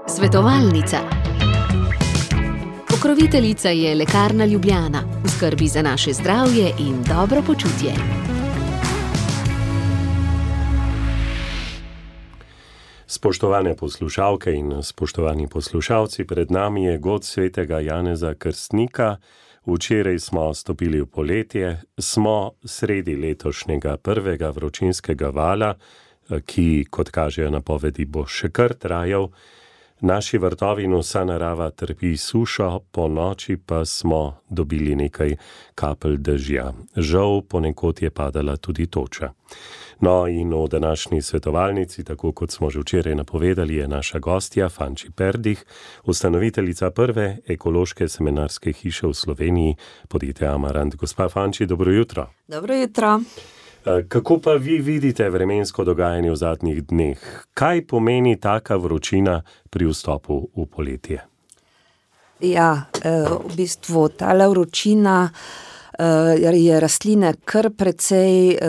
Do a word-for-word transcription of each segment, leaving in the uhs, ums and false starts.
Svetovalnica. Pokroviteljica je Lekarna Ljubljana, v skrbi za naše zdravje in dobro počutje. Spoštovane poslušalke in spoštovani poslušalci, pred nami je god svetega Janeza Krstnika. Včeraj smo stopili v poletje, smo sredi letošnjega prvega vročinskega vala, ki, kot kažejo napovedi, bo še kar trajal. Naši vrtovi in vsa narava trpi sušo, po noči pa smo dobili nekaj kapelj dežja. Žal, ponekod je padala tudi toča. No in v današnji svetovalnici, tako kot smo že včeraj napovedali, je naša gostja Fanči Perdih, ustanoviteljica prve ekološke seminarske hiše v Sloveniji, podjetje Amarant. Gospa Fanči, dobro jutro. Dobro jutro. Kako pa vi vidite vremensko dogajanje v zadnjih dneh? Kaj pomeni taka vročina pri vstopu v poletje? Ja, v bistvu tale vročina je rastline kar precej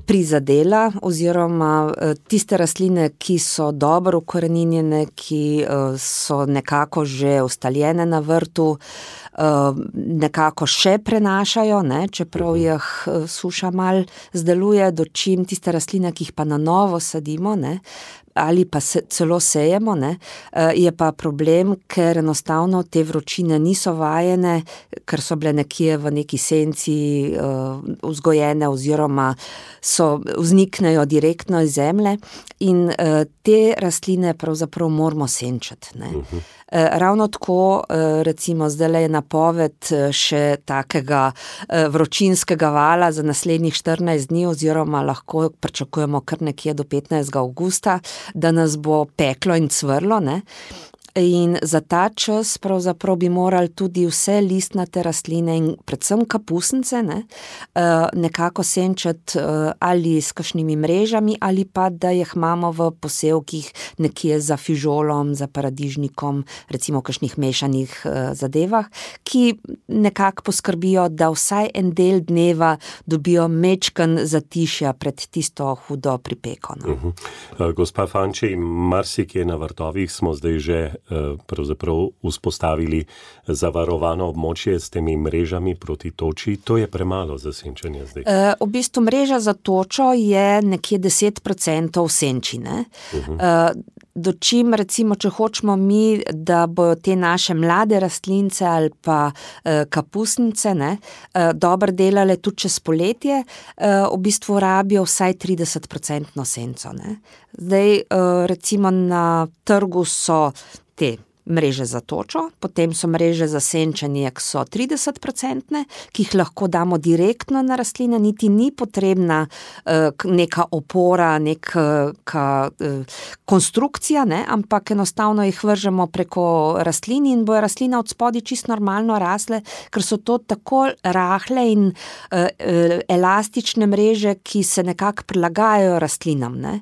prizadela, oziroma tiste rastline, ki so dobro ukoreninjene, ki so nekako že ustaljene na vrtu, nekako še prenašajo, ne, čeprav jih suša mal zdeluje, dočim tiste rastline, ki jih pa na novo sadimo, ne, ali pa se, celo sejemo, ne, je pa problem, ker enostavno te vročine niso vajene, ker so bile nekje v neki senci uh, vzgojene oziroma so vzniknejo direktno iz zemlje in uh, te rastline pravzaprav moramo senčati, ne. Uh-huh. Ravno tako, recimo, zdaj je napoved še takega vročinskega vala za naslednjih štirinajst dni, oziroma lahko pričakujemo kar nekje do petnajstega avgusta, da nas bo peklo in cvrlo, ne. In za ta čas pravzaprav bi morali tudi vse listnate rastline in predvsem kapusnice, ne, nekako senčati ali s kakšnimi mrežami ali pa da jih imamo v posevkih nekje za fižolom, za paradižnikom, recimo v kakšnih mešanih zadevah, ki nekako poskrbijo, da vsaj en del dneva dobijo mečken zatišja pred tisto hudo pripeko. No. Uh-huh. Gospa Fanči, marsikje na vrtovih smo zdaj že pravzaprav vzpostavili zavarovano območje s temi mrežami proti toči. To je premalo za senčenje zdaj. E, v bistvu mreža za točo je nekje deset procentov senčine. Uh-huh. E, dočim, recimo, če hočemo mi, da bojo te naše mlade rastlince ali pa e, kapusnice, ne, e, dobro delale tudi čez poletje, e, v bistvu rabijo vsaj trideset procentno senco, ne. Zdaj, e, recimo, na trgu so te mreže za točo, potem so mreže za senčenje, ki so trideset procentne, ki jih lahko damo direktno na rastline, niti ni potrebna uh, neka opora, neka uh, konstrukcija, ne, ampak enostavno jih vržemo preko rastlin in bojo rastline od spodaj čisto normalno rasle, ker so to tako rahle in uh, elastične mreže, ki se nekako prilagajajo rastlinam, ne.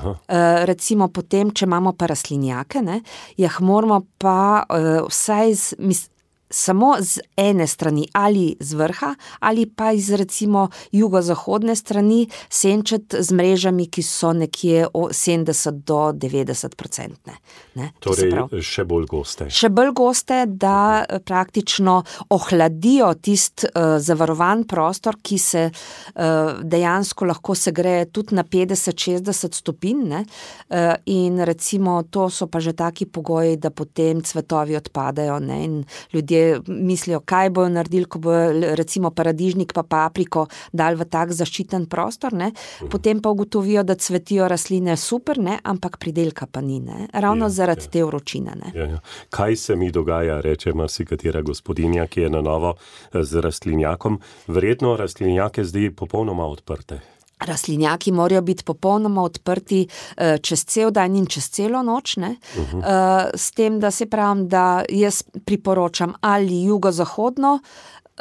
Uh, recimo potem, če imamo pa rastlinjake, ne, jih moramo pa uh, vsaj z, mis, samo z ene strani ali z vrha ali pa iz recimo jugozahodne strani senčati z mrežami, ki so nekje sedemdeset do devetdeset procentne. Ne? Torej še bolj goste. Še bolj goste, da uh-huh. praktično ohladijo tist uh, zavarovan prostor, ki se uh, dejansko lahko segreje tudi na petdeset šestdeset stopinj, ne? Uh, in recimo to so pa že taki pogoji, da potem cvetovi odpadajo, ne? In ljudje mislijo, kaj bojo naredili, ko bojo recimo paradižnik pa papriko dali v tak zaščiten prostor, ne? Potem pa ugotovijo, da cvetijo rastline super, ne? Ampak pridelka pa ni, ne? Ravno ja, zaradi ja. te vročine. Ne? Ja, ja. Kaj se mi dogaja, reče marsikatera gospodinja, ki je na novo z rastlinjakom? Verjetno rastlinjake zdaj popolnoma odprte. Rastlinjaki morajo biti popolnoma odprti uh, čez cel dan in čez celo noč, ne? Uh-huh. Uh, s tem, da se pravim, da jaz priporočam ali jugozahodno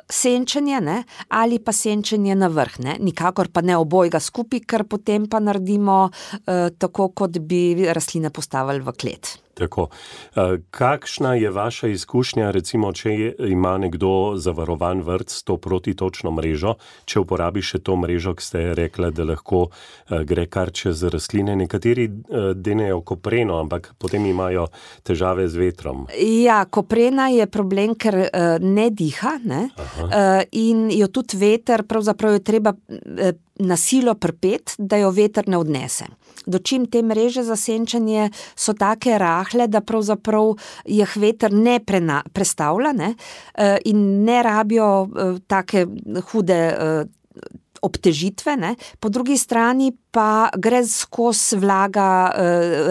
senčenje, ne? Ali pa senčenje na vrh, ne? Nikakor pa ne obojga skupaj, ker potem pa naredimo uh, tako, kot bi rastline postavili v klet. Tako. Kakšna je vaša izkušnja, recimo, če ima nekdo zavarovan vrt s to protitočno mrežo, če uporabi še to mrežo, ki ste rekla, da lahko gre kar čez rastline. Nekateri denejo kopreno, ampak potem imajo težave z vetrom. Ja, koprena je problem, ker ne diha, ne? In jo tudi veter, pravzaprav je treba na silo pripet, da jo veter ne odnese. Dočim te mreže za senčanje so take rahle, da pravzaprav jih veter ne prena, prestavlja, ne? In ne rabijo take hude obtežitve, ne? Po drugi strani pa gre skozi vlaga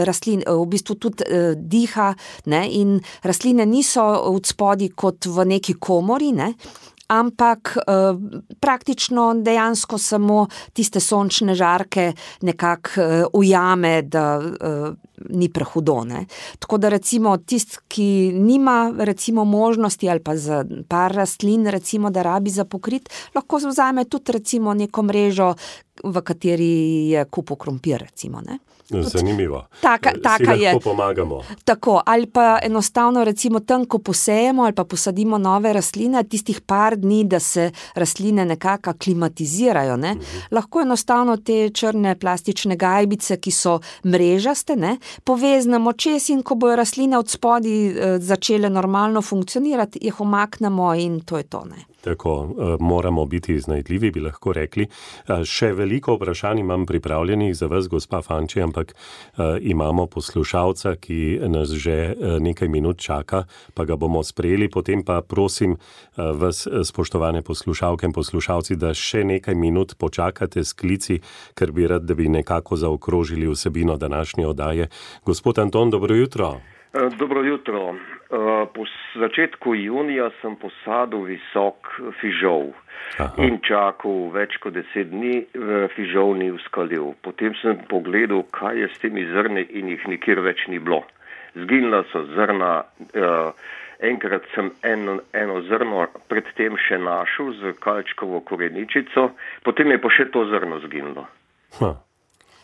rastlin, v bistvu tudi diha, ne? In rastline niso od spodaj kot v neki komori, ne? Ampak eh, praktično dejansko samo tiste sončne žarke nekako eh, ujame, da eh, ni prehudo, ne. Tako da recimo tist, ki nima recimo možnosti ali pa za par rastlin recimo, da rabi za pokrit, lahko vzame tudi recimo neko mrežo, v kateri je kup krompir recimo, ne. Zanimivo. Taka, taka si je. lahko pomagamo. Tako, ali pa enostavno recimo tam, ko posejemo ali pa posadimo nove rastline, tistih par dni, da se rastline nekako aklimatizirajo, ne, mhm. lahko enostavno te črne plastične gajbice, ki so mrežaste, ne, poveznemo čez in ko bojo rastline od spodaj začele normalno funkcionirati, jih umaknemo in to je to, ne. Tako, moramo biti iznajdljivi, bi lahko rekli. Še veliko vprašanj imam pripravljenih za vas, gospa Fanči, ampak imamo poslušalca, ki nas že nekaj minut čaka, pa ga bomo sprejeli. Potem pa prosim vas, spoštovane poslušalke in poslušalci, da še nekaj minut počakate s klici, ker bi rad, da bi nekako zaokrožili vsebino današnje oddaje. Gospod Anton, dobro jutro. Dobro jutro. Po začetku junija sem posadil visok fižol. Aha. In čakal več kot deset dni, fižol ni uskalil. Potem sem pogledal, kaj je s temi zrni in jih nikjer več ni bilo. Zginila so zrna, enkrat sem eno, eno zrno predtem še našel z kalčkovo koreničico, potem je pa še to zrno zginilo. Ha.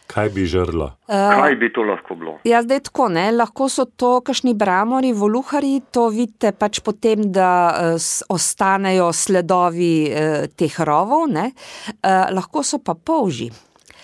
Kaj bi žrlo? Kaj bi to lahko bilo? Ja, zdaj tako, ne, lahko so to kakšni bramori, voluhari, to vidite pač potem, da uh, ostanejo sledovi uh, teh rovov, ne, uh, lahko so pa polži.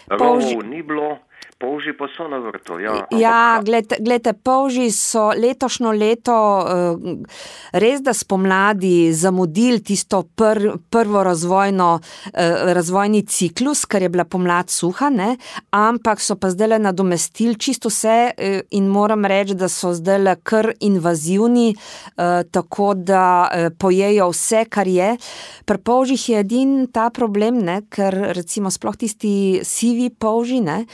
Polži... Rovov ni bilo, polži pa so na vrtu, ja. Ja, glede, glede, polži so letošnjo leto uh, res da spomladi zamudili tisto pr, prvo razvojno, uh, razvojni ciklus, ker je bila pomlad suha, ne, ampak so pa zdajle nadomestili čisto vse uh, in moram reči, da so zdajle kar invazivni, uh, tako da uh, pojejo vse, kar je. Pri polžih je edin ta problem, ne, ker recimo sploh tisti sivi polži, ne,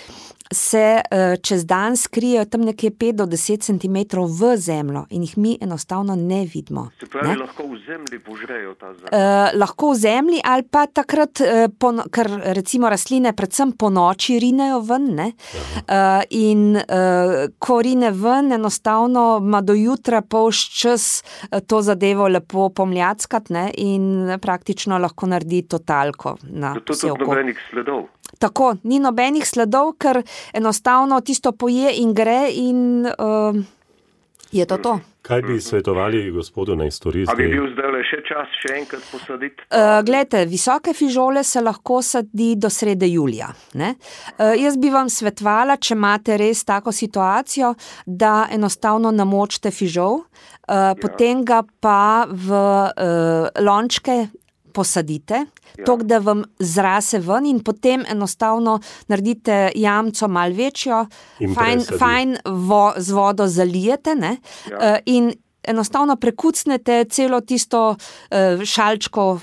se uh, čez dan skrijejo tam nekje pet do deset centimetrov v zemljo in jih mi enostavno ne vidimo. Se pravi, ne? Lahko v zemlji požrejo ta zemlja? Uh, lahko v zemlji ali pa takrat, uh, po, ker recimo rastline predvsem po noči rinejo ven, ne? Uh, in uh, ko rine ven, enostavno ima do jutra polž čas uh, to zadevo lepo pomljackat, ne? In praktično lahko naredi totalko na vse oko. To tudi nobenih sledov? Tako, ni nobenih sledov, ker enostavno tisto poje in gre in uh, je to to. Kaj bi svetovali gospodu naj stori zdaj? A bi bil zdaj še čas še enkrat posaditi? Uh, glejte, visoke fižole se lahko sadi do srede julija, ne? Uh, jaz bi vam svetovala, če imate res tako situacijo, da enostavno namočite fižol, uh, ja. Potem ga pa v uh, lončke posadite, ja. Tok, da vam zrase ven in potem enostavno naredite jamco malo večjo, fajn, fajn vo, z vodo zalijete, ne? Ja. Uh, in enostavno prekucnete celo tisto uh, šalčko, uh,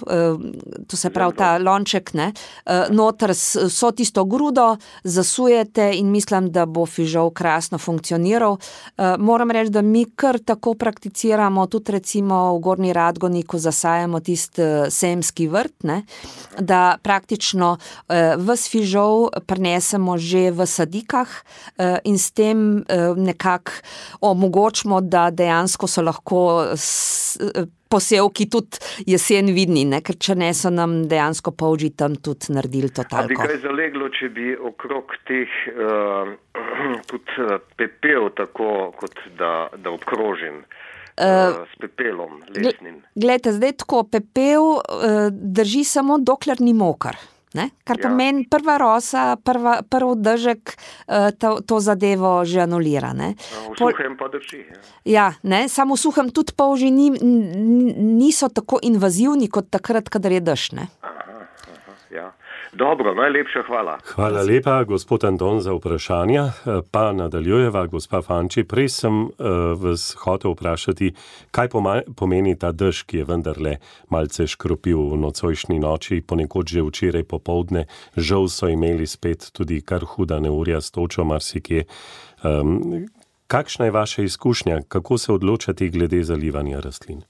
to se pravi ta lonček, ne, uh, noter so tisto grudo, zasujete in mislim, da bo fižol krasno funkcioniral. Uh, moram reči, da mi kar tako prakticiramo, tudi recimo v Gornji Radgoni, ko zasajamo tist uh, sejemski vrt, ne, da praktično uh, ves fižol prinesemo že v sadikah uh, in s tem uh, nekako omogočimo, da dejansko so lahko s, posevki tudi jesen vidni, ne? Ker če ne so nam dejansko polži tam tudi naredili to talko. A bi kaj zaleglo, če bi okrog teh uh, tudi pepel tako, kot da, da obkrožim uh, s pepelom lesnim? Glejte, zdaj tako, pepel uh, drži samo dokler ni mokar. Ne? Kar ja. Pomeni prva rosa, prva, prv dežek uh, to, to zadevo že anulira. Ne? V suhem pa drži. Ja, ja ne? Samo v suhem tudi polži ni, niso tako invazivni kot takrat, kadar je dež. Ne? Aha, aha, ja. Dobro, najlepša hvala. Hvala lepa, gospod Anton, za vprašanja. Pa nadaljujeva, gospa Fanči. Prej sem uh, vas hotel vprašati, kaj pomeni ta dež, ki je vendarle malce škropil v nocojšnji noči, ponekod že včeraj popoldne. Žal so imeli spet tudi kar huda neurja s točo marsikje. Um, kakšna je vaša izkušnja? Kako se odločati glede zalivanja rastlin?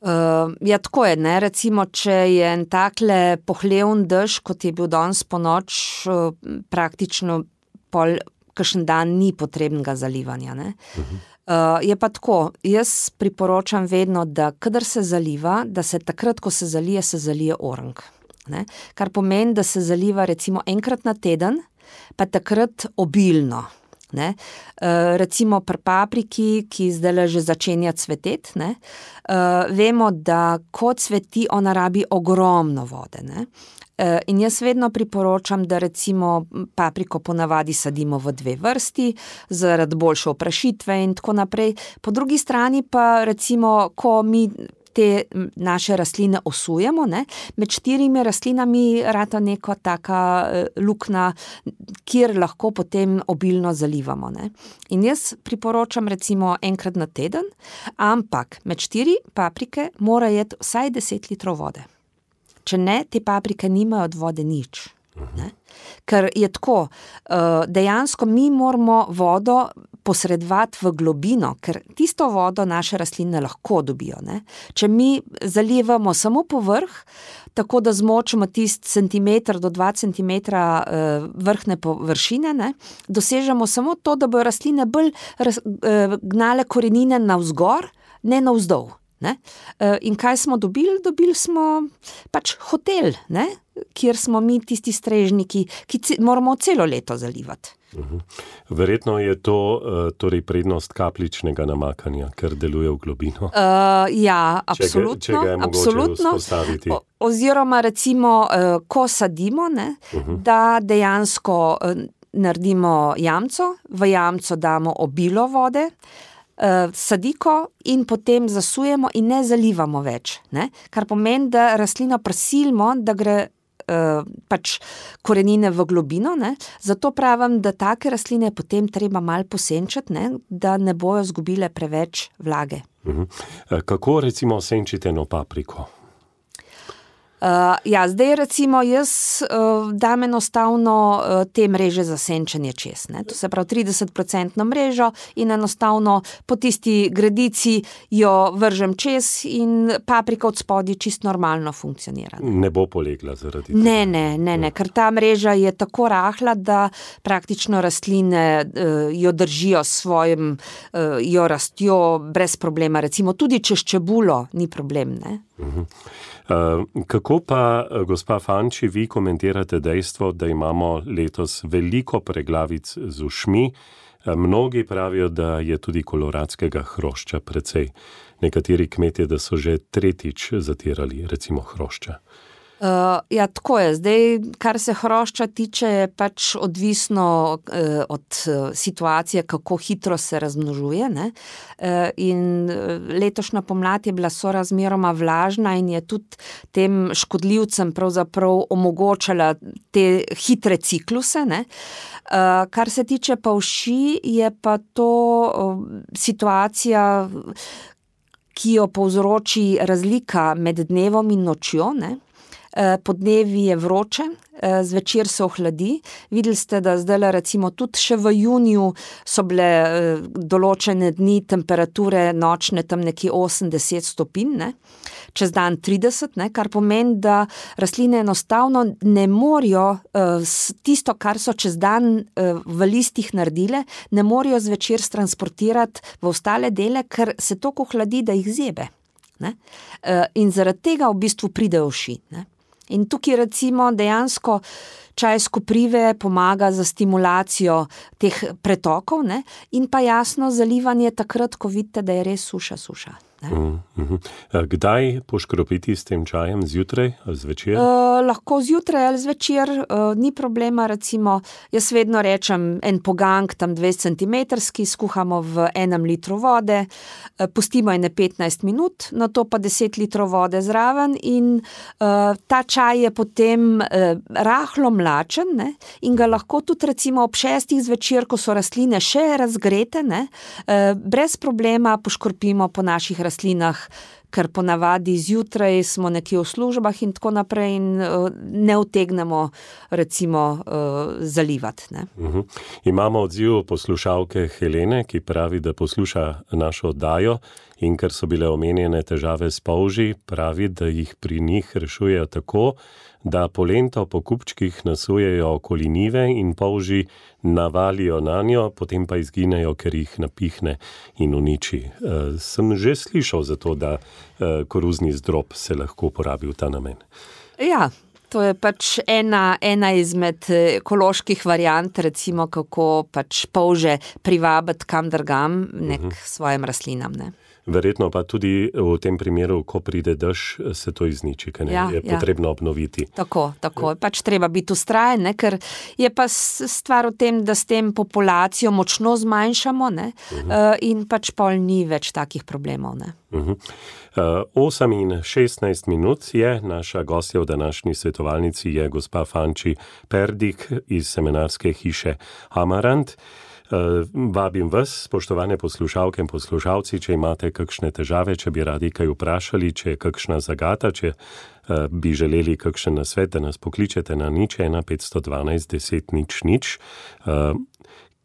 Uh, ja, tako je, ne, recimo, če je en takle pohlevn dež, kot je bil danes po noč, uh, praktično pol, kakšen dan ni potrebnega zalivanja, ne. Uh-huh. Uh, je pa tako, jaz priporočam vedno, da kadar se zaliva, da se takrat, ko se zalije, se zalije orang, ne, kar pomeni, da se zaliva recimo enkrat na teden, pa takrat obilno. Ne? Uh, recimo pri papriki, ki zdaj že začenja cveteti, ne? Uh, vemo, da ko cveti, ona rabi ogromno vode. Ne? Uh, in jaz vedno priporočam, da recimo papriko ponavadi sadimo v dve vrsti, zaradi boljše oprašitve in tako naprej. Po drugi strani pa recimo, ko mi te naše rastline osujemo, ne? Med štirimi rastlinami rata neko taka lukna, kjer lahko potem obilno zalivamo. Ne? In jaz priporočam recimo enkrat na teden, ampak med štiri paprike mora jeti vsaj deset litrov vode. Če ne, te paprike nimajo od vode nič. Ne? Ker je tako, dejansko mi moramo vodo posredovati v globino, ker tisto vodo naše rastline lahko dobijo. Ne? Če mi zalivamo samo povrh, tako da zmočimo tist centimeter do dva centimetra vrhne površine, ne? Dosežemo samo to, da bojo rastline bolj gnale korenine navzgor, ne navzdol. Ne? In kaj smo dobili? Dobili smo pač hotel, ne? Kjer smo mi tisti strežniki, ki c- moramo celo leto zalivati. Uh-huh. Verjetno je to uh, torej prednost kapljičnega namakanja, ker deluje v globino. Uh, ja, absolutno. Če ga, če ga je mogoče vzpostaviti. O, oziroma recimo, uh, ko sadimo, ne, uh-huh. da dejansko uh, naredimo jamco, v jamco damo obilo vode, Uh, sadiko in potem zasujemo in ne zalivamo več, ne? Kar pomeni, da rastlino prisilimo, da gre uh, pač korenine v globino, ne? Zato pravim, da take rastline potem treba malo posenčiti, ne? Da ne bojo zgubile preveč vlage. Uh-huh. Kako recimo senčite eno papriko? Uh, ja, zdaj recimo jaz uh, dam enostavno uh, te mreže za senčenje čez, ne? To se pravi trideset procentno mrežo in enostavno po tisti gredici jo vržem čez in paprika od spodaj čisto normalno funkcionira. Ne, ne bo polegla zaradi tega? Ne, ne, ne, ne, ker ta mreža je tako rahla, da praktično rastline uh, jo držijo s svojim, uh, jo rastjo brez problema, recimo tudi čez čebulo ni problem, ne. Uh-huh. Uh, kako pa, gospa Fanči, vi komentirate dejstvo, da imamo letos veliko preglavic z ušmi? Uh, mnogi pravijo, da je tudi koloradskega hrošča precej. Nekateri kmetje, da so že tretjič zatirali, recimo hrošča. Uh, ja, tako je. Zdaj, kar se hrošča tiče, je pač odvisno uh, od uh, situacije, kako hitro se razmnožuje, ne? Uh, in letošnja pomlad je bila sorazmeroma vlažna in je tudi tem škodljivcem pravzaprav omogočala te hitre cikluse, ne? Uh, kar se tiče pa uši, je pa to uh, situacija, ki jo povzroči razlika med dnevom in nočjo, ne? Podnevi je vroče, zvečer se ohladi. Videli ste, da zdaj recimo tudi še v juniju so bile določene dni temperature nočne tam nekje osem do deset stopinj, ne? Čez dan trideset, ne? Kar pomeni, da rastline enostavno ne morejo tisto, kar so čez dan v listih naredile, ne morejo zvečer transportirati v ostale dele, ker se toliko ohladi, da jih zebe. Ne? In zaradi tega v bistvu pridejo uši. Ne? In tukaj recimo dejansko čaj s koprive pomaga za stimulacijo teh pretokov, ne? In pa jasno zalivanje takrat, ko vidite, da je res suša, suša. Mm, mm. Kdaj poškropiti s tem čajem? Zjutraj ali zvečer? Uh, lahko zjutraj ali zvečer, uh, ni problema, recimo, jaz vedno rečem en pogank, tam dvajset centimetrski, skuhamo v enem litru vode, uh, pustimo ene petnajst minut, na to pa deset litrov vode zraven in uh, ta čaj je potem uh, rahlo mlačen, ne, in ga lahko tudi recimo ob šestih zvečer, ko so rastline še razgrete, ne, uh, brez problema poškropimo po naših rastlinah. rastlinah, ker ponavadi zjutraj smo nekje v službah in tako naprej in uh, ne utegnemo recimo uh, zalivati. Ne? Uh-huh. Imamo odziv poslušalke Helene, ki pravi, da posluša našo oddajo in ker so bile omenjene težave s polži, pravi, da jih pri njih rešujejo tako, da polento po kupčkih nasujejo okoli njive in polži navalijo na njo, potem pa izginejo, ker jih napihne in uniči. E, sem že slišal za to, da e, koruzni zdrob se lahko uporabi v ta namen. Ja, to je pač ena, ena izmed ekoloških variant, recimo kako pač polže privabiti kam drugam, nek uh-huh. svojim rastlinam, ne. Verjetno pa tudi v tem primeru, ko pride dež, se to izniči, ker ja, je ja. potrebno obnoviti. Tako, tako. Pač treba biti vztrajen, ne? Ker je pa stvar v tem, da s tem populacijo močno zmanjšamo, ne? Uh-huh. In pač pol ni več takih problemov. Ne? Uh-huh. Uh, osem in šestnajst minut je, naša gostja v današnji svetovalnici je gospa Fanči Perdik iz semenarske hiše Amarant. Uh, vabim vas, spoštovane poslušalke in poslušalci, če imate kakšne težave, če bi radi kaj vprašali, če je kakšna zagata, če uh, bi želeli kakšen nasvet, da nas pokličete na nič ena petsto dvanajst deset nič nič. Uh,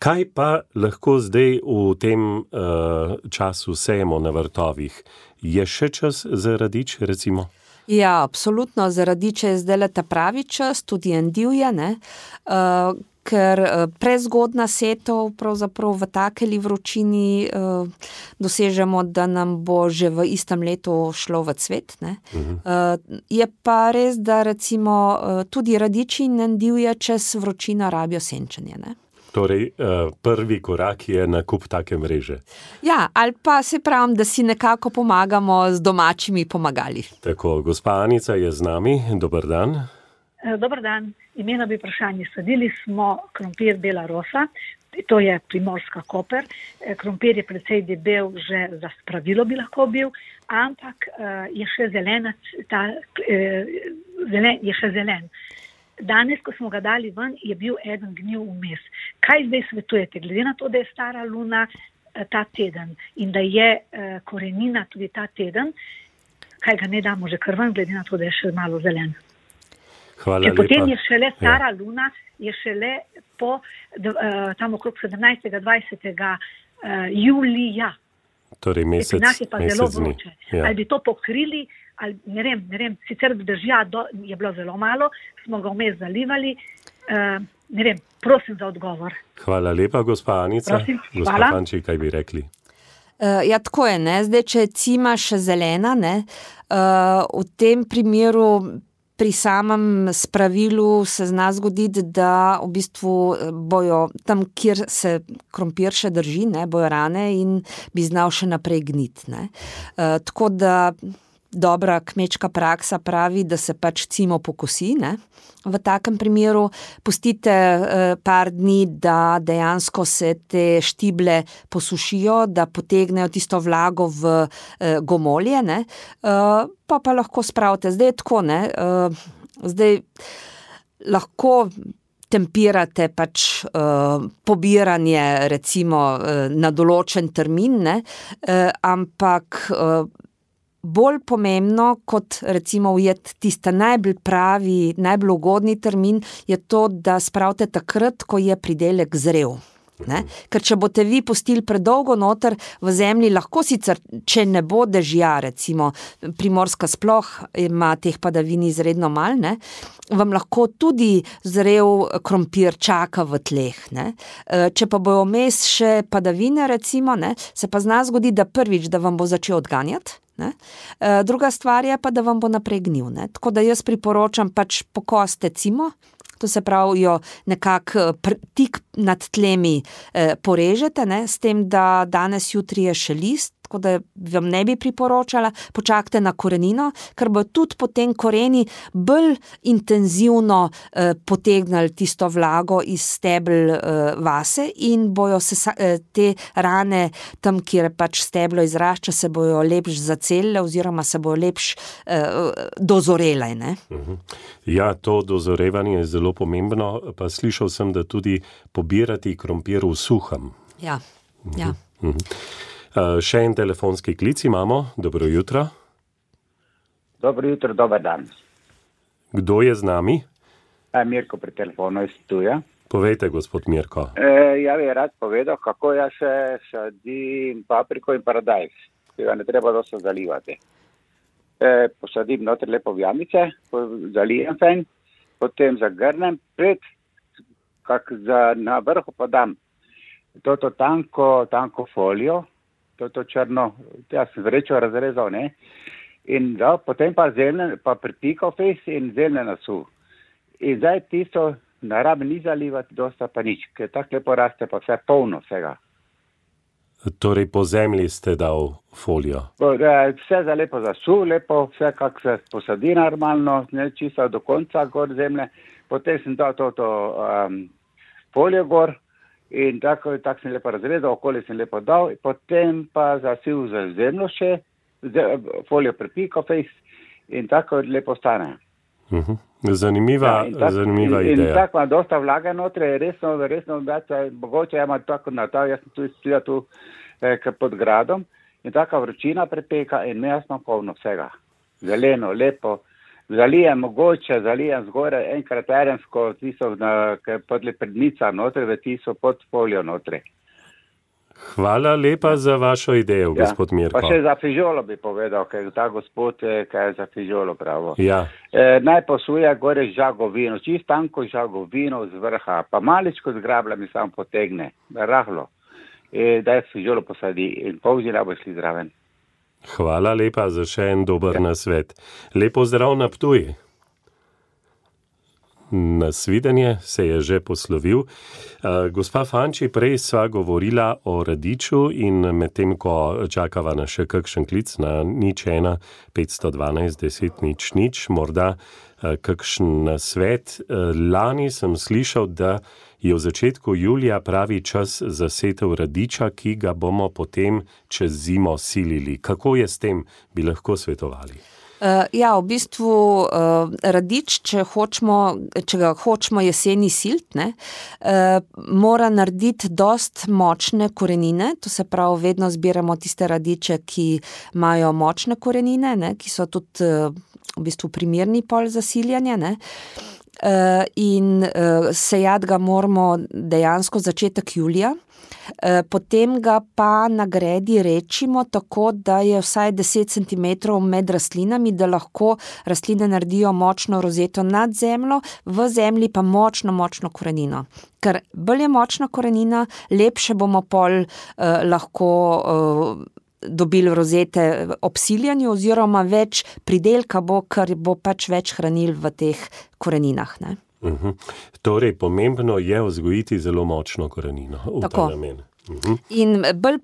kaj pa lahko zdaj v tem uh, času sejemo na vrtovih? Je še čas za radič, recimo? Ja, absolutno, za radiče je zdaj ta pravi čas, tudi endivje, ne? Uh, ker prezgodna setov pravzaprav v takeli vročini uh, dosežemo, da nam bo že v istem letu šlo v cvet. Ne? Uh-huh. Uh, je pa res, da recimo uh, tudi radiči in endivje čez vročino rabijo senčenje. Ne? Torej, uh, prvi korak je nakup take mreže. Ja, ali pa se pravim, da si nekako pomagamo z domačimi pomagali. Tako, gospa Anica je z nami. Dober dan. Dobar dan, imela bi vprašanje. Sadili smo krompir Bela rosa, to je Primorska Koper. Krompir je precej debel, že za spravilo bi lahko bil, ampak je še zelenac, ta, zelen, je še zelen. Danes, ko smo ga dali ven, je bil eden gnil vmes. Kaj zdaj svetujete? Glede na to, da je stara luna ta teden in da je korenina tudi ta teden, kaj ga ne damo že kar ven, glede na to, da je še malo zelen? Hvala Če lepa. Potem je šele stara ja. luna, je šele po uh, tam okrog sedemnajstega dvajsetega uh, julija. Torej mesec, mesec je pa mesec zelo dni. vroče. Ja. Ali bi to pokrili, ali ne vem, ne vem, sicer držja do, je bilo zelo malo, smo ga vmes zalivali, uh, ne vem, prosim za odgovor. Hvala lepa, gospa Anica. Prosim, gospa hvala. Fanči, kaj bi rekli? Uh, ja, tako je, ne, zdaj, če je cima še zelena, ne, uh, v tem primeru pri samem spravilu se zna zgoditi, da v bistvu bojo tam, kjer se krompir še drži, ne, bojo rane in bi znal še naprej gniti. Ne. Uh, tako da dobra kmečka praksa pravi, da se pač cimo pokosi. Ne. V takem primeru pustite uh, par dni, da dejansko se te štible posušijo, da potegnejo tisto vlago v uh, gomolje, ne. Uh, pa pa lahko spravite. Zdaj je tako, ne. Uh, zdaj lahko tempirate pač uh, pobiranje recimo uh, na določen termin, ne. Uh, ampak uh, bolj pomembno, kot recimo ujeti tista najbolj pravi, najbolj ugodni termin, je to, da spravite takrat, ko je pridelek zrel. Ne? Ker če boste vi pustili predolgo noter v zemlji, lahko sicer, če ne bo dežja, recimo Primorska sploh ima teh padavin izredno malo, ne? Vam lahko tudi zrel krompir čaka v tleh. Ne? Če pa bojo vmes še padavine, recimo, ne? Se pa zna zgodi, da prvič, da vam bo začel odganjati. Ne? Druga stvar je pa, da vam bo naprej gnil. Ne? Tako da jaz priporočam pač pokoste cimo, to se pravi, jo nekako tik nad tlemi eh, porežete, ne, s tem, da danes jutri je še list, tako da vam ne bi priporočala, počakajte na korenino, ker bo tudi potem koreni bolj intenzivno eh, potegnili tisto vlago iz stebel eh, vase in bojo se eh, te rane tam, kjer pač steblo izrašča, se bojo lepš zacelile oziroma se bojo lepš eh, dozorele. Ne? Ja, to dozorevanje je zelo pomembno, pa slišal sem, da tudi pobirati krompir v suhem. Ja, ja. Mhm. Uh, še en telefonski klic imamo. Dobro jutro. Dobro jutro, dober dan. Kdo je z nami? E, Mirko pri telefonu iz Ptuja. Povejte, gospod Mirko. E, ja bi rad povedal, kako jaz še sadim papriko in paradajz, ki ga ne treba dosto zalivati. E, posadim noter lepo v jamice, zalijem fajn, potem zagrnem, pred, kak za, na vrhu pa dam toto tanko, tanko folijo, to črno, jaz sem vrečo razrezal, ne, in da, potem pa zelne, pa pripikal fejs in zelne nasu. In zdaj tisto narabi ni zalivati, dosta pa nič, ker tako lepo raste, pa vse polno vsega. Torej po zemlji ste dal folijo? Vse za lepo zasu, lepo, vse kak se posadi normalno, ne, čisto do konca gor zemlje, potem sem dal toto um, folijo gor, in tako, tako sem lepo razrezal, okoli sem lepo dal, potem pa zasil za zemljo še, folijo pripikal fejs in tako lepo stane. Uh-huh. Zanimiva, ja, tak, zanimiva in, ideja. In tako ima dosta vlage notre, resno, resno, mogoče ima tako na ta, jaz sem tu stila tu eh, pod gradom in taka vročina prepeka in me jasno polno vsega. Zeleno, lepo. Zalijem mogoče, zalijem zgore enkrat terensko, tisto podle prednica notre, da tisto pod folijo notre. Hvala lepa za vašo idejo, ja, gospod Mirko. Pa še za fižolo bi povedal, ker ta gospod, kaj je za fižolo pravo. Ja. E, naj posuje gore žagovino, čist tanko žagovino z vrha, pa maličko z grabljami samo potegne, rahlo. E, da je fižolo posadi in polžina bo šli zraven. Hvala lepa za še en dober ja. nasvet. Lepo zdrav na Ptuj. Nasvidenje se je že poslovil. Uh, gospa Fanči, prej sva govorila o radiču in medtem, ko čakava na še kakšen klic na nič ena, petsto dvanajst, deset, nič, nič, morda uh, kakšen nasvet. Uh, lani sem slišal, da je v začetku julija pravi čas za setev radiča, ki ga bomo potem čez zimo silili. Kako je s tem, bi lahko svetovali? Uh, ja, v bistvu uh, radič, če, hočemo, če ga hočemo jeseni silt, ne, uh, mora narediti dost močne korenine, to se pravi, vedno zbiramo tiste radiče, ki imajo močne korenine, ne, ki so tudi uh, v bistvu primerni pol za siljanje, ne. Uh, in uh, sejati ga moramo dejansko začetek julija, uh, potem ga pa na gredi rečimo tako, da je vsaj deset centimetrov med rastlinami, da lahko rastline naredijo močno rozeto nad zemljo, v zemlji pa močno, močno korenino. Ker bolj je močna korenina, lepše bomo pol uh, lahko uh, dobili rozete ob siljanju oziroma več pridelka bo, ker bo pač več hranil v teh koreninah. Ne? Uh-huh. Torej, pomembno je vzgojiti zelo močno korenino v ta namen. Uh-huh. In bolj,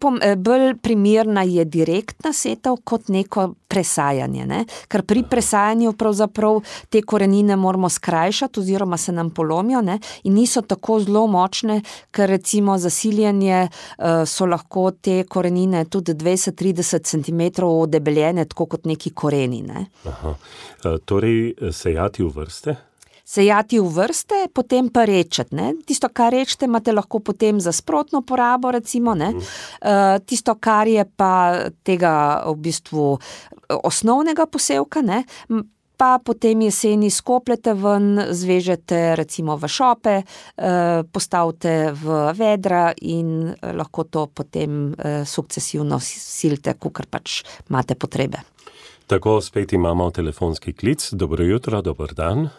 bolj primerna je direktna setev kot neko presajanje, ne? Ker pri presajanju pravzaprav te korenine moramo skrajšati oziroma se nam polomijo, ne? In niso tako zelo močne, ker recimo za siljanje uh, so lahko te korenine tudi dvajset do trideset centimetrov debeljene, tako kot neki koreni. Ne? Aha. Uh, torej, sejati v vrste? Sejati v vrste, potem pa rečeti. Ne? Tisto, kar rečete, imate lahko potem za sprotno porabo, recimo. Ne? Uh, tisto, kar je pa tega v bistvu osnovnega posevka, ne? pa potem jeseni skopljete ven, zvežete recimo v šope, postavite v vedra in lahko to potem sukcesivno silite, kakor pač imate potrebe. Tako, spet imamo telefonski klic. Dobro jutro, dober dan.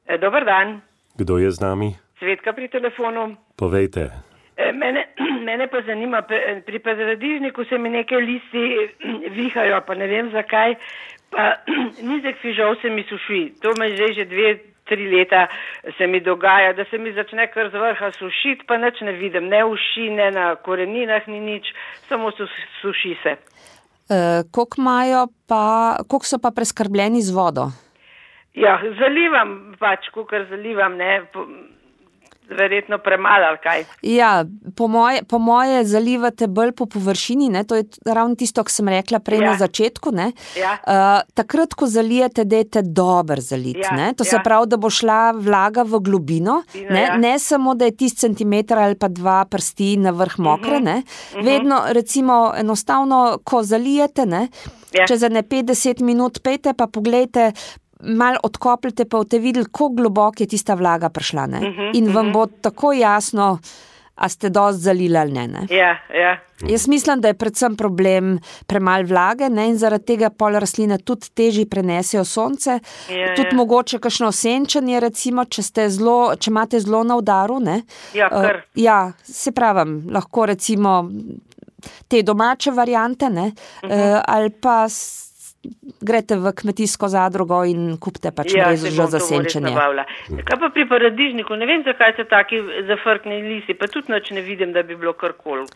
E, dober dan. Kdo je z nami? Cvetka pri telefonu. Povejte. E, mene, mene pa zanima, pri paradižniku se mi neke listi vihajo, pa ne vem zakaj, pa nizek fižol se mi suši. To me že že dve, tri leta se mi dogaja, da se mi začne kar z vrha sušiti, pa nič ne vidim, ne uši, ne na koreninah, ni nič, samo suši se. E, koliko imajo pa, koliko so pa preskrbljeni z vodo? Ja, zalivam pač, kukor zalivam, ne, verjetno premalo ali kaj. Ja, po moje, po moje zalivate bolj po površini, ne, to je ravno tisto, ko sem rekla prej ja. na začetku, ne. Ja. Uh, takrat, ko zalijete, dajte dober zalit, ja. ne, to ja. se pravi, da bo šla vlaga v globino, Dino, ne, ja. ne samo, da je tisti centimeter ali pa dva prsti na vrh mokre, uh-huh. ne, uh-huh. vedno, recimo, enostavno, ko zalijete, ne, ja. čez ene pet deset minut pejte, pa poglejte, malo odkopljite, pa boste videli, kako globoko je tista vlaga prišla, ne? Uh-huh, in vam uh-huh. bo tako jasno, a ste dosti zalili ali ne, ne? Ja, ja. Jaz mislim, da je predvsem problem premalo vlage, ne? In zaradi tega pol rastline tudi težje prenesejo sonce, ja, tudi ja. mogoče kakšno osenčenje, recimo, če ste zelo, če imate zelo na udaru, ne? Ja, kar. Uh, ja, se pravim, lahko recimo te domače variante, ne? Uh-huh. Uh, ali pa grete v kmetijsko zadrugo in kupite pač ja, mrežo za senčenje. Kaj pa pri paradižniku? Ne vem, zakaj so taki zafrkni listi, pa tudi nič ne vidim, da bi bilo karkoli.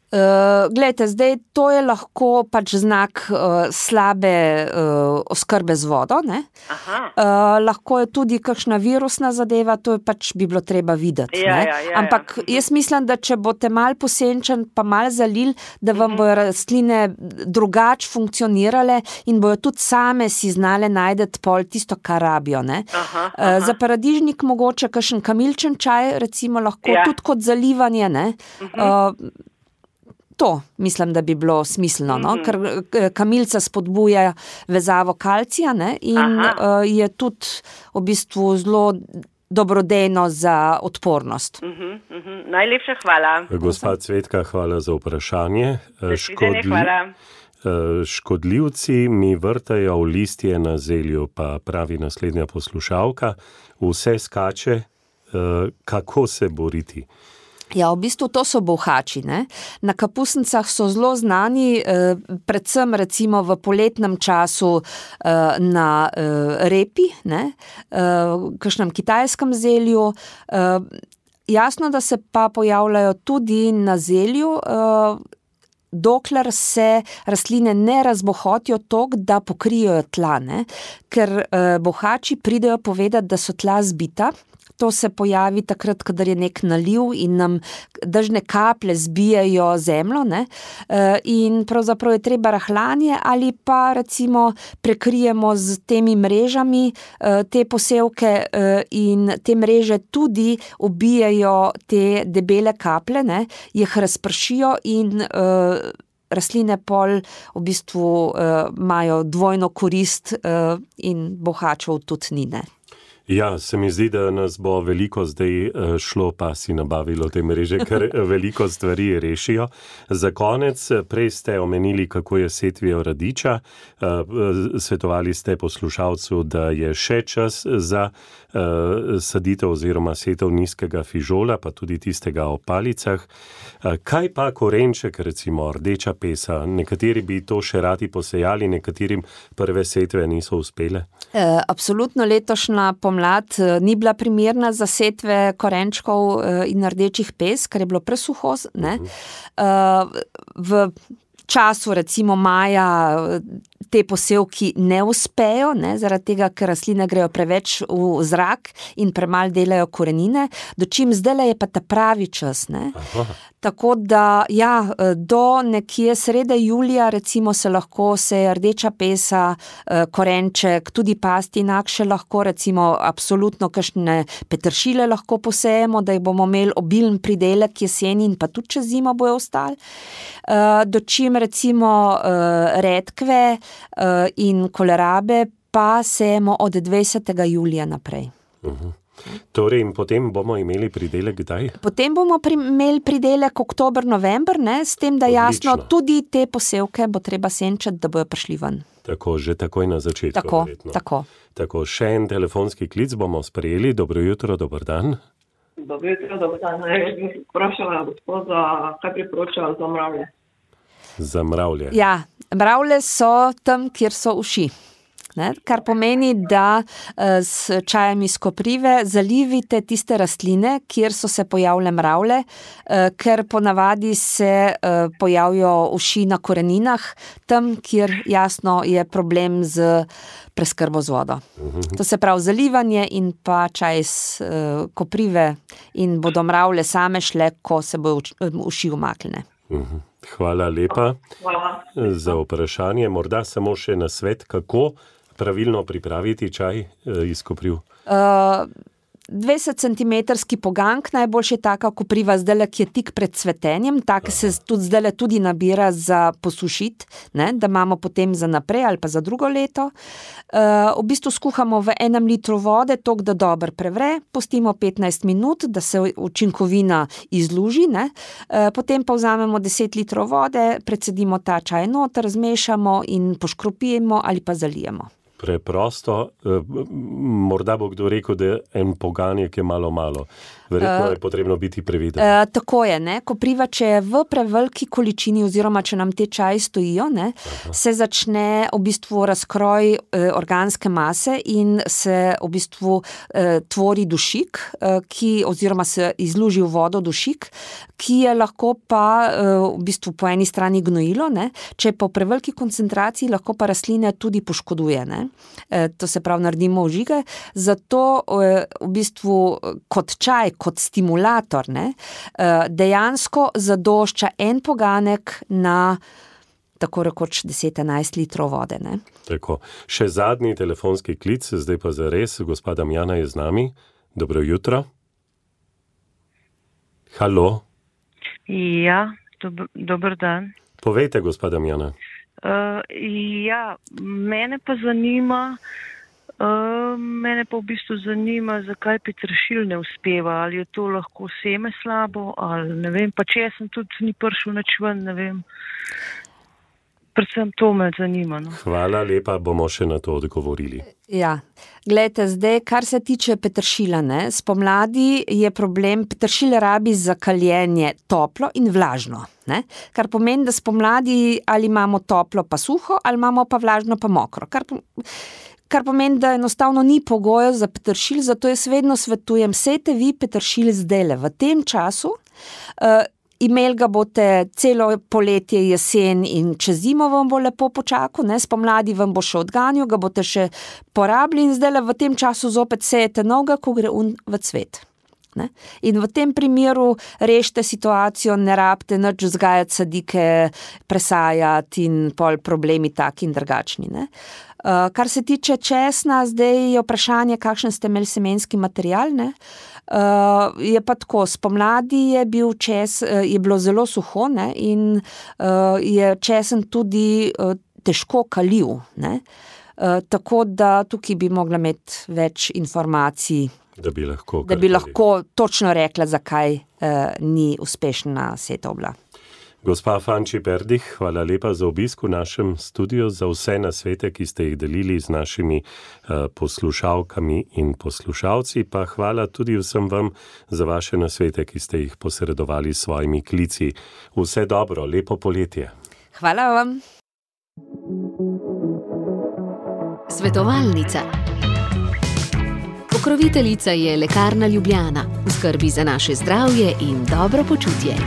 Uh, glejte, zdaj to je lahko pač znak uh, slabe uh, oskrbe z vodo, ne? Aha. Uh, lahko je tudi kakšna virusna zadeva, to je pač bi bilo treba videti, ja, ne? Ja, ja, Ampak ja. jaz mislim, da če boste mal posenčen, pa mal zalil, da vam uh-huh. bojo rastline drugače funkcionirale in bojo tudi same si znale najdeti pol tisto, kar rabijo, ne? Aha, aha. Uh, za paradižnik mogoče kakšen kamilčen čaj, recimo lahko ja. tudi kot zalivanje, ne? Uh-huh. Uh, To mislim, da bi bilo smiselno, no? mm-hmm. ker kamilca spodbuja vezavo kalcija, ne? In uh, je tudi v bistvu zelo dobrodejno za odpornost. Uh-huh, uh-huh. Najlepša hvala. Gospa Cvetka, hvala za vprašanje. Škodli... Hvala. Škodljivci mi vrtajo v listje na zelju, pa pravi naslednja poslušalka, vse skače, kako se boriti? Ja, v bistvu to so bolhači, ne. Na kapusnicah so zelo znani, eh, predvsem recimo v poletnem času eh, na eh, repi, ne, eh, kakšnem kitajskem zelju. Eh, jasno, da se pa pojavljajo tudi na zelju, eh, dokler se rastline ne razbohotijo toliko, da pokrijejo tla, ne, ker eh, bolhači pridejo povedati, da so tla zbita. To se pojavi takrat, kadar je nek naliv in nam dežne kaplje zbijajo zemljo, ne, in pravzaprav je treba rahljanje ali pa recimo prekrijemo z temi mrežami te posevke in te mreže tudi ubijajo te debele kaplje, ne, jih razpršijo in rastline pol v bistvu imajo dvojno korist in bohačev tudi ni, ne. Ja, se mi zdi, da nas bo veliko zdaj šlo, pa si nabavilo te mreže, ker veliko stvari rešijo. Za konec, prej ste omenili, kako je setvijo radiča. Svetovali ste poslušalcu, da je še čas za saditev oziroma setev nizkega fižola, pa tudi tistega o palicah. Kaj pa korenček, recimo rdeča pesa? Nekateri bi to še radi posejali, nekaterim prve setve niso uspele? E, absolutno letošnja pomlad ni bila primerna za setve korenčkov in rdečih pes, ker je bilo presuho, ne. Uh-huh. V času recimo maja te posevki ne uspejo, ne, zaradi tega, ker rastline grejo preveč v zrak in premalo delajo korenine, dočim zdajle je pa ta pravi čas, ne. Aha. Tako da, ja, do nekje srede julija recimo se lahko seje rdeča pesa, korenček, tudi pastinak še lahko, recimo absolutno kakšne peteršile lahko posejemo, da jih bomo imeli obilen pridelek jeseni in pa tudi čez zimo bojo ostali. Dočim recimo redkve in kolerabe pa sejemo od dvajsetega julija naprej. Uh-huh. Torej, in potem bomo imeli pridelek kdaj? Potem bomo pri, imeli pridelek oktober, november, ne, s tem, da jasno, Odlično. tudi te posevke bo treba senčati, da bojo prišli ven. Tako, že takoj na začetku. Tako, verjetno. tako. Tako, še en telefonski klic bomo sprejeli. Dobro jutro, dober dan. Dobro jutro, dober dan. Jaz bi vprašala gospoda, kaj priporoča za mravlje. Za mravlje. Ja, mravlje so tam, kjer so uši. Ne? Kar pomeni, da s čajem iz koprive zalivite tiste rastline, kjer so se pojavile mravlje, ker ponavadi se pojavijo uši na koreninah, tam, kjer jasno je problem z preskrbo z vodo. Uh-huh. To se pravi zalivanje in pa čaj iz koprive in bodo mravlje same šle, ko se bojo uši umaknile. Uh-huh. Hvala lepa Hvala. za vprašanje. Morda samo še nasvet, kako pravilno pripraviti čaj iz kopriv? Uh, dvajsetcentimetrski poganjk, najboljše je taka kopriva zdajle, ki je tik pred cvetenjem, taka se tudi zdajle tudi nabira za posušiti, ne, da imamo potem za naprej ali pa za drugo leto. Uh, v bistvu skuhamo v enem litru vode, toliko, da dobro prevre, pustimo petnajst minut, da se učinkovina izluži, ne. Uh, potem pa vzamemo deset litrov vode, precedimo ta čaj noter, zmešamo in poškropimo ali pa zalijemo. Preprosto, morda bo kdo rekel, da en poganjek je malo malo. Verjetno je potrebno biti previden. Uh, tako je, ne? Kopriva, če je v preveliki količini oziroma če nam te čaji stojijo, ne, se začne v bistvu razkroj uh, organske mase in se v bistvu uh, tvori dušik, uh, ki, oziroma se izluži v vodo dušik, ki je lahko pa uh, v bistvu po eni strani gnojilo, ne? Če je po preveliki koncentraciji, lahko pa rastline tudi poškoduje, ne? Uh, to se pravi, naredimo ožige, zato uh, v bistvu kot čaj, kot stimulator, ne, dejansko zadošča en poganek na tako rekoč deset do enajst litrov vode. Ne. Tako. Še zadnji telefonski klic, zdaj pa zares, gospa Damjana je z nami. Dobro jutro. Halo. Ja, dob- dober dan. Povejte, gospa Damjana. Uh, ja, mene pa zanima, Uh, mene pa v bistvu zanima, zakaj peteršilj ne uspeva, ali je to lahko seme slabo, ali ne vem, pa če sem tudi ni prišel nič ven, ne vem. Predvsem to me zanima. No. Hvala lepa, bomo še na to odgovorili. Ja, gledajte, zdaj, kar se tiče peteršilja, ne, spomladi je problem, peteršilj rabi za kaljenje toplo in vlažno, ne, kar pomeni, da spomladi ali imamo toplo pa suho, ali imamo pa vlažno pa mokro, kar pomeni, kar pomeni, da enostavno ni pogojev za peteršilj, zato jaz vedno svetujem, sejte vi peteršilj zdajle v tem času, uh, imeli ga boste celo poletje, jesen in čez zimo vam bo lepo počakal, ne, spomladi vam bo še odganjal, ga boste še porabili in zdajle v tem času zopet sejete novega, ko gre un v cvet. Ne? In v tem primeru rešite situacijo, ne rabite nič vzgajati sadike, presajati in pol problemi taki in drugačni. Ne? Uh, kar se tiče česna, zdaj je vprašanje, kakšen ste imeli semenski material, ne? Uh, je pa tako, spomladi je bil čes, uh, je bilo zelo suho, ne? In uh, je česen tudi uh, težko kaljiv, ne? Uh, tako da tukaj bi mogla imeti več informacij, da bi lahko, da bi lahko točno rekla, zakaj uh, ni uspešna setva. Gospa Fanči Perdih, hvala lepa za obisk v našem studiu, za vse nasvete, ki ste jih delili z našimi uh, poslušalkami in poslušalci, pa hvala tudi vsem vam za vaše nasvete, ki ste jih posredovali s svojimi klici. Vse dobro, lepo poletje. Hvala vam. Svetovalnica. Pokroviteljica je Lekarna Ljubljana, v skrbi za naše zdravje in dobro počutje.